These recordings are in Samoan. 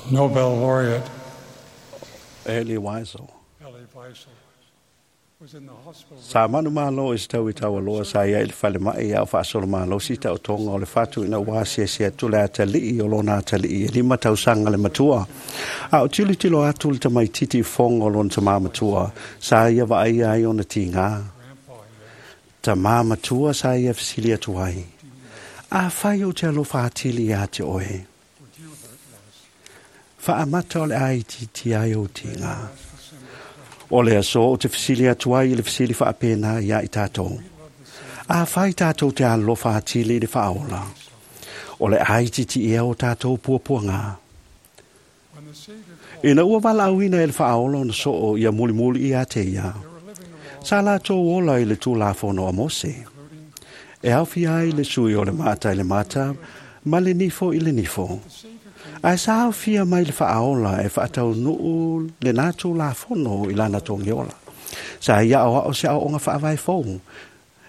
Nobel laureate Elie Wiesel. Elie Wiesel was in the hospital Sa manumalo i se tau i taualoa sa ia i le falemai a o faasolomalosi taotoga o le fatu ina ua asiasi atu le atalii o lona atalii e 5 tausaga le matua. A o tilotilo atu le tamaititi i fofoga o lona tamā matua, sa ia vaaia ai ona tigā. grandpa, he asked, Tamā matua sa ia fesili atu ai. Afai ou te alofa atili iā te oe. "Would you hurt less?" Faamata o le a itiiti ai ou tigā. Asked a similar question. O le aso o te fesili atu ai i le fesili faapena iā i tātou. Afai tātou te alofa atili i le faaola. O le a itiiti ea o tātou puapuaga. When the Savior called, Ina ua valaauina e le faaola ona soo ia mulimuli ia te ia. they were living the law, Sa latou ola i le Tulafono a Mose. including E aofia ai le sui o le mata i le mata, ma le nifo i le nifo. the Savior came Ae sa aofia mai le faaola e faataunuu lena Tulafono i lana togiola. Sa ia aoao se aoaoga faavae fou.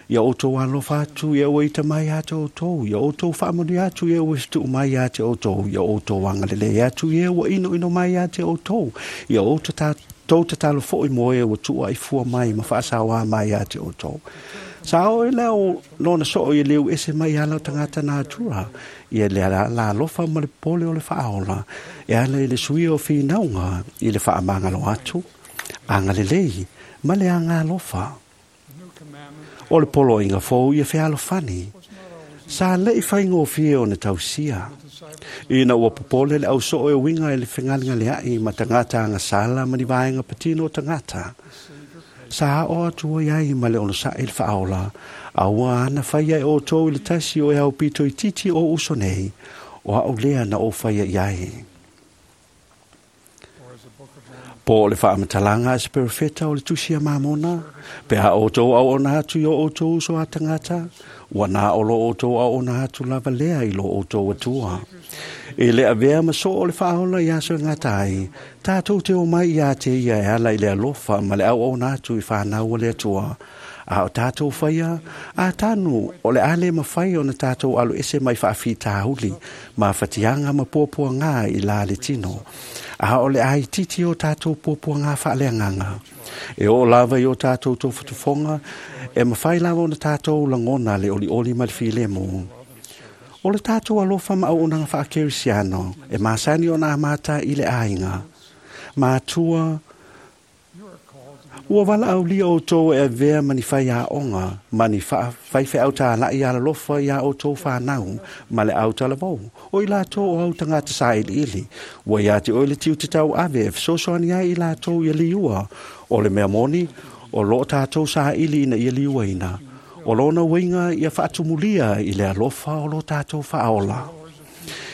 Ia outou alofa atu ia ua ita mai ia te outou, ia outou faamanuia atu ia ua fetuu mai ia te outou, ia outou agalelei atu ia ua inoino mai ia te outou, ia outou tatalo foi mo e ua tuuaifua mai ma faasaoā mai ia te outou. Sa oo i lea o lona soo ia leu ese mai ala o tagata natura, ia le la alofa ma le pole o le faaola, e ala i le suia o finauga i le faamagalo atu, agalelei ma le agalofa. the new commandment O le poloaiga fou ia fealofani, was not always sa le'i faigofie ona tausia. the disciples Ina ua popole le ausoo e uiga i le fegalegalea'i ma tagata agasala ma ni vaega patino o tagata. the Savior paid Sa ao atu ai ai ma le onosa'i le faaola, a ua ana faia e outou i le tasi o e aupito itiiti o uso nei, o a'u lea na ou faia i ai. or as the Book of Mormon Po o le faamatalaga a se perofeta o le tusi a Mamona, pe a outou auauna atu i o outou uso a tagata, ua na o lo outou auauna atu lava lea i lo outou Atua. I le avea ma soo o le faaola i aso e gata ai, tātou te omai iā te ia e ala i le alofa ma le auauna atu i whānau o le Atua. A o tātou whaia, a tanu o le ale mawhai o na tātou alo ese mai whaafitauli, ma whatianga ma puapuanga i la le tino. A o le ai titi o tātou puapuanga whaaleanganga. E o lava i o tātou tōfutufonga, e mawhai lava o na tātou langona le oli oli ma le filemo. O le tātou alofa ma auaunaga faakerisiano, e masani ona amata i le aiga. Matua, you are called to be ua valaaulia outou e avea ma ni faiaoga ma ni faifeau tāla'i alalofa iā outou fanau ma le autalavou. O i latou o au tagata sailiili, ua iā te oe le tiute tauave e fesoasoani ai i latou ia liua. O le mea moni, o loo tātou saili ina ia liuaina. O lona uiga ia faatumulia i le alofa o lo tātou faaola.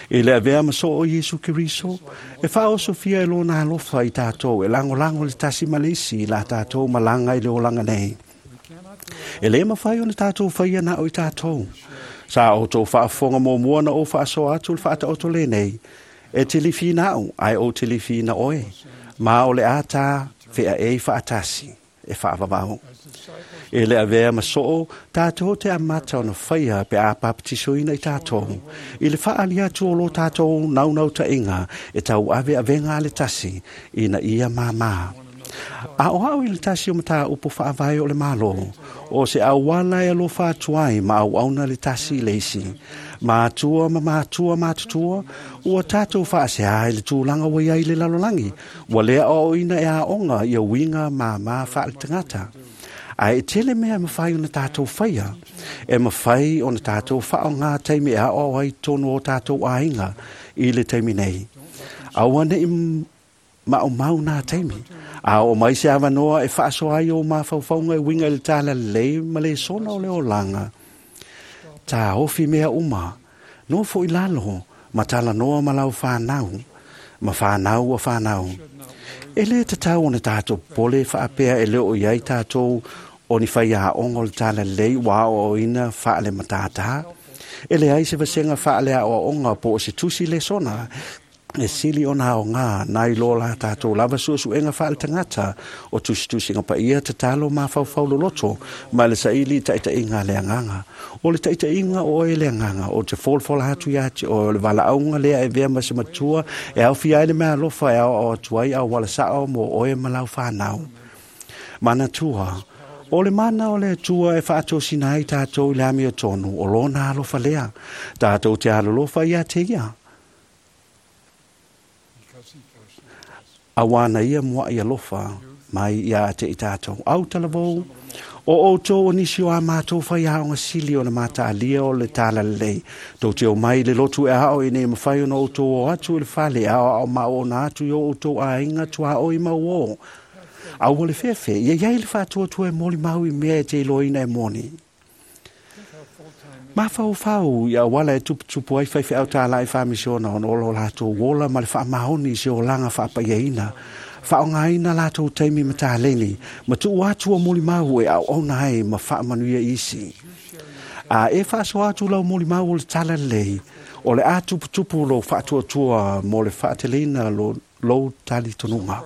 I le avea ma soo o Iesu Keriso, e faaosofia e lona alofa i tātou, e lagolago le tasi ma le isi i la tātou malaga i le olaga nei. we cannot do it E lē mafai ona tātou faia na o i tātou. Sa outou faafofoga muamua na ou faasoa atu le faataoto lenei. E te lifiina au, ae ou te lifiina oe. Ma o le a tā fea e faatasi, e faavavao. as disciples E le avea ma soo, tātou te amata ona faia pe a papatisoina i tātou. I le faali atu o lo tātou naunau tainga, e tau ave avenga a le tasi, ina ia māmā. A o au i le tasi o matā upo faavae o le malo, o se auala e alofa atu ai ma auauna le tasi i le isi. Mātua ma mātua mātutua, ua tātou faasea i le tulaga ua iai le lalolagi, ua lea aoaoina e aoga ia uiga māmā faale-tagata. Ae e tele mea e mawhai ona tātou whaia, e mawhai ona tātou whaonga taimi e ao ai tonu o tātou āinga i le taimi nei. Aua nei maumau nā taimi. A o mai se awanoa e whaaso ai o mawhaufaunga e winga i le tāla lei ma le sona o le olanga. Tā ofi mea uma, no fo i lalo, ma tala noa ma lau whānau, ma whānau o whānau. E le tatau ona tātou pole whaapea e leo i ai tātou o ni whai a ongo le tāla lei wā o ina whaale matātā. E le ai se vasenga whaale a o onga po o se tusi le sona. E sili ona aogā nai lo la tātou lava suesuega faale-tagata o tusitusiga paia tatalo mafaufau loloto ma le saili taitaiga a le agaga. O le taitaiga o oe le agaga o te folafola atu ia te oe o le valaauga lea e avea ma se matua e aofia ai le meaalofa e aoao atu ai auala sao mo oe ma lau fanau. Manatua, o le mana o le Atua e faatosina ai tātou i le amiotonu o lona alofa lea. Tātou te alolofa ia te ia. Because he first loved us. Auā na ia muaʻi alofa mai ia te i tātou. Au talavou, o outou o nisi o a mātou faiaoga sili o le mataalia o le talalelei. Tou te omai i le lotu e ao ina ia mafai ona outou o atu i le fale e aoao ma oona atu i o outou aiga tuaoi ma uō. Aua le fefe, ia iai le faatuatua e molimau i mea e te iloaina e moni. Think how full-time Mafaufau i auala e tuputupu ai faifeau tālai faamisiona ona o lo latou ola ma le faamaoni i se olaga faapaiaina. Faaaogaina latou taimi ma taleni, ma tuu atu o molimau e auauna ai ma faamanuia isi. A e faasoa atu lau molimau o le talalelei, o le a tuputupu lou faatuatua mo le faateleina lou talitonuga.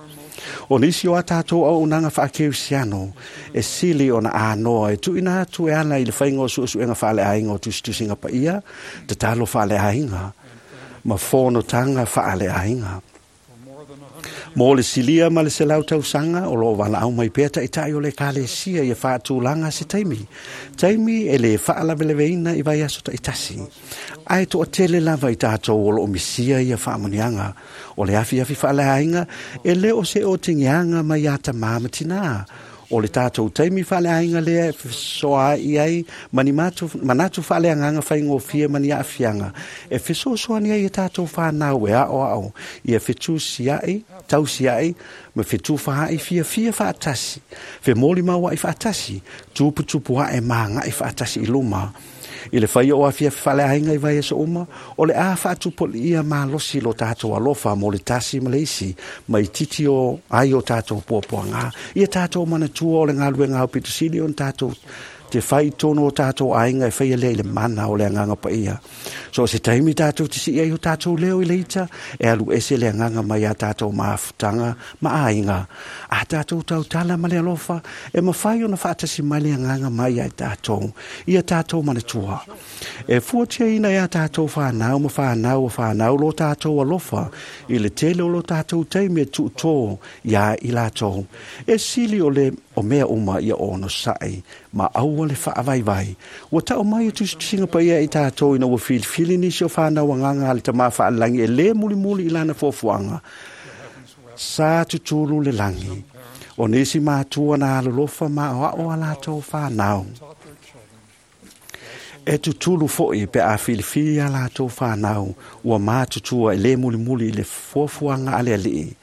O nisi o a tātou auaunaga faakerisiano e sili ona anoa e tuuina atu e ala i le faiga o suesuega faaleaiga o tusitusiga paia, tatalo faaleaiga ma fonotaga faaleaiga. for more than 100 years. Mo le silia ma le 100 tausaga o loo valaau mai pea taitai o le ekalesia ia faatulaga se taimi. Taimi e le faalavelaveina i vaiaso taitasi. Ae toatele lava i tātou o loo misia ia faamanuiaga. O le afiafi faaleaiga e le o se otegeaga mai ia tamā ma tinā. O le tātou taimi faaleaiga lea e fesoaai ai ma ni manatu faaleagaga faigofie ma ni aafiaga. E fesoasoani ai e tātou whānau e aoao ia fetusiai, tausiai, ma fetufaai fiafia faatasi. Femolimauai faatasi, tuputupu ae magai faatasi i luma. I le faia o afiafi faaleaiga i vaiaso uma, o le a faatupulia malosi lo tātou alofa mo le tasi ma le isi, mai titi o ai o tātou puapuaga. Ia tātou manatua o le galuega aupito sili ona tātou te whai tonu o tātou aiga e whaia lea i le mana o le agaga paia. So se taimi tātou te sii ai o tātou leo i le ita, e alu ese le agaga mai a tātou mafutaga ma aiga. A tātou tautala ma le alofa, e mafai ona faatasi mai le agaga mai ai tātou, ia tātou manatua. E fuatiaina e a tātou whānau ma whānau o whānau lo tātou alofa, i le tele o lo tātou taimi e tuutō ia i lātou. E sili o le o mea uma ia ono sa'i, ma aua le faavaivai. Ua tau mai e tusitusiga paia i tātou ina ua filifili nisi o whānau agaga a le tamā faalelagi e lē mulimuli i lana fuafuaga. Sa tutulu le lagi. O nisi matua na alolofa ma aoao a latou whānau. Taught their children. E tutulu foi pe a filifili a latou whānau ua mātutua e lē mulimuli i le fuafuaga a le alii.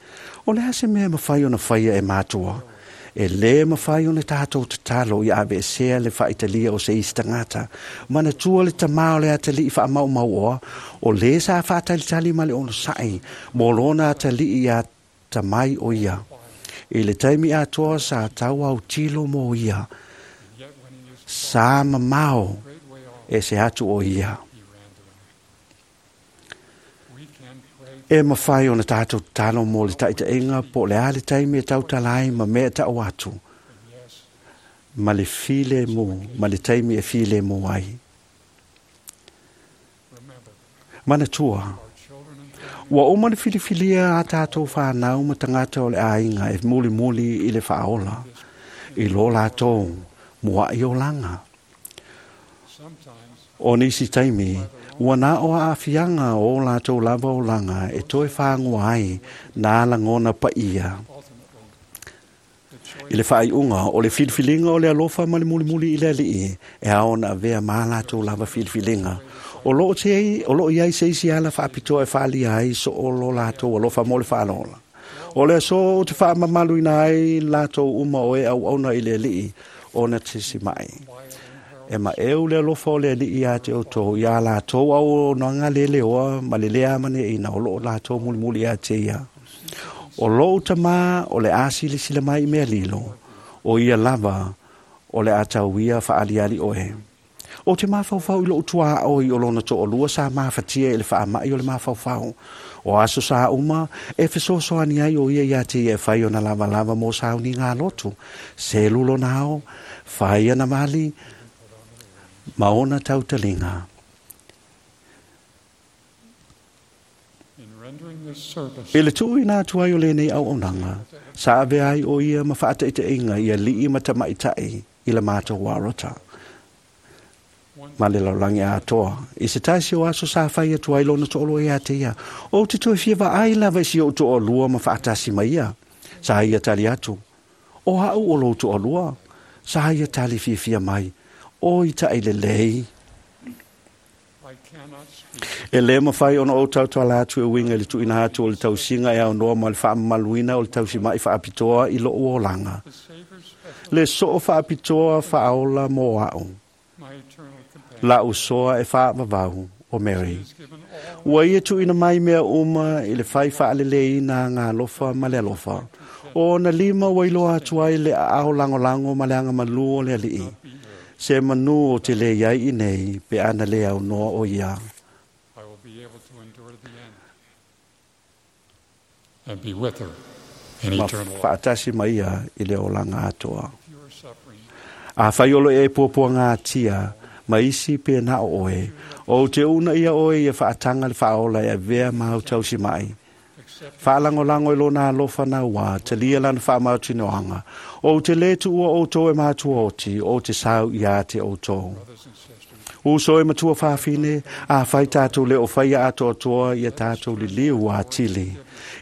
O le a se mea e mafai ona faia e matua. E lē mafai ona tātou tatalo ia aveesea le faaitalia o se isi tagata. Manatua le tamā o le atalii faamaumauoa, o lē sa faatalitali ma le onosaʻi mo lona atalii ia tamai o ia. I le taimi atoa sa tau autilo mo ia. And yet when he used to Sa mamao great way off, e se atu o ia. he ran to him. We can pray E mafai ona tātou tatalo mo le taitaiga po o le a le taimi e tautala ai ma mea ta'u atu. and yes, Ma le file mo, ma le taimi e file mo ai. remember Manatua, our children and family ua uma le filifilia a tātou whānau ma tagata o le aiga e mulimuli i le faaola, i lo lātou muaʻi olaga. sometimes O nisi taimi, ua na o aafiaga o lātou lava olaga e toe whāngoa ai nā lagona paia. ultimately the I le choice faaiuga o le filifiliga o le alofa ma le mulimuli i le alii, e ao ona avea ma latou lava filifiliga. O loo te o loo iai se isi ala faapitoa e faalia ai so o lo latou alofa mo le faalola. O le aso o te faamamaluina ai latou uma o e auauna i le alii ona tesimaʻi. quiet and E maʻeu le alofa o le alii ia te outou ia latou auaunaga leleoa ma le lē amaneʻina o loo latou mulimuli ia te ia. O lou tamā o le a silasila mai i mea lilo, o ia lava o le a tauia faaliali oe. O te mafaufau i lou tuaoi o lona toalua sa mafatia i le faamai o le mafaufau. O aso sa uma e fesoasoani ai o ia ia te ia e fai ona lavalava mo sauniga a lotu. Selu lona ao, fai ana mali, ma ona tautaliga. In rendering this service, I le tuuina atu ai o lenei auaunaga, sa avea ai o ia ma faataitaiga i alii ma tamaitai i le matou arota one ma le lalolagi atoa. I se tasi o aso sa fai atu ai lona toalua ia te ia, ou te toe fia vaai lava i si ou toalua ma faatasi mai ia. Sa ia tali atu, o au o lou toalua. Sa ia tali fiafia mai, o i tai lelei. I cannot speak E le mawhai ona o tautuala atu e winga i le tuina atu o le tausinga e au noa ma le whaamamaluina o le tausimai whaapitoa i lo uolanga. the Savior's special, Le soo whaapitoa whaaola mō au. my eternal companion. La usoa e whaavavau o Mary. He has given all Ua ia tuina mai mea uma i le whai whaalelei nā ngā alofa ma le alofa. O na lima ua iloa atu ai le ao langolango ma le anga malu o le alii. be here. Se manu o te le iai i nei, pe ana le au noa o ia. I will be able to endure the end and be with her in Ma eternal life. whaatasi mai ia i le olanga atoa. If you are suffering, A whaiolo e puapua ngā tia, ma isi pe nā o oe. O te una ia oe ia whaatanga le whaola e avea mau tausi mai. accept Whaalangolango i lona alofa nā wā, te lia lana whaamautinoanga. O te letu ua o tō e mātua oti, o te sau i a te o tō. brothers and sisters, Uso e matua whawhine, a whai tātou le o whaia atoa toa i a tātou li liu a tili,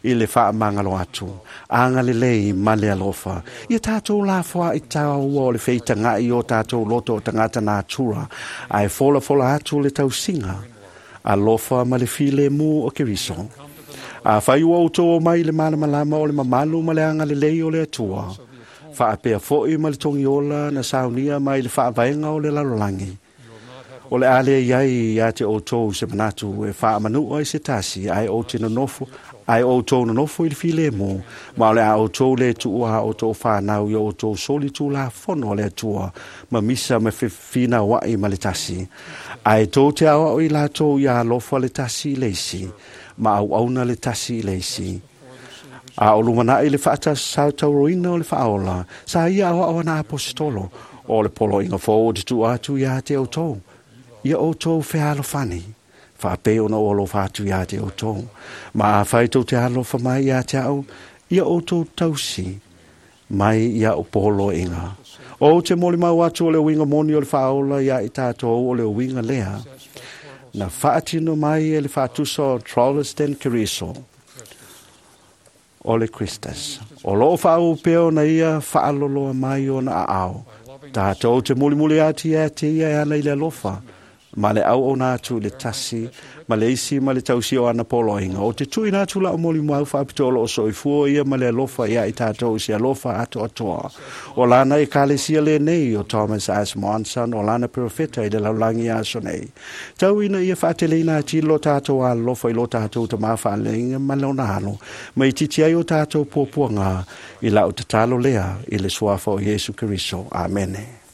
i le whaamangalo atu, anga le lei ma le alofa. I a tātou la wha i tāua o le wheita ngai o tātou loto o tangata nā tura, a e fola fola atu le tausinga, alofa ma le file mu o keriso. come to the knowledge A whai ua o tō mai le malamalama o le mamalu ma le anga le lei o le atua. of the atonement. Whaapea foi ma le tongiola na saunia mai le whaavaenga o le lalolagi. You will not have a O le ale iai ia te o tō se manatu e whaamanua i se tasi ai o te nonofo ai o tō nonofo i le file mō ma o le a o tō le tuua o tō whānau i o tō soli tū la fono le atua ma misa ma whina wai ma le tasi ai tō te awa o i la tō ia alofa le tasi i leisi ma au auna le tasi i leisi before the Savior's A o lumana i le whaata sautauroina o le whaola, sa ia awa awa na apostolo, o le polo inga fō o te tu atu ia te o tō. Ia o tō whealofani, whaapeo na o alofa atu ia te o tō. Ma a whaito te alofa mai ia te au, ia o tō tausi, mai ia o polo inga. O te moli mau atu o le winga moni o le whaola ia i tātou o le winga lea, successful portal na whaatino mai e le whaatusa o Trolesden Keriso, o le Christus. O loo whaau peo na ia whaaloloa mai o na ao. by loving Tātou te mulimuli ati e te ia e ana i le alofa. Ma le au o nā atu le tasi, ma le isi ma le tausi o ana poloinga. O te tui nā atu la o moli mau whaapito o loo soifua ia ma le alofa ia i tātou si alofa ato atoa. O lana e kalesia le nei o Thomas S. Monson, o lana profeta i le laulangi aso nei. Tau ina ia whaateleina ati lo tātou alofa i lo tātou te mawhaalenga ma le ona alo. Ma i titi ai o tātou puapuanga i lau tatalo lea i le suafa o Iesu Keriso. Amene.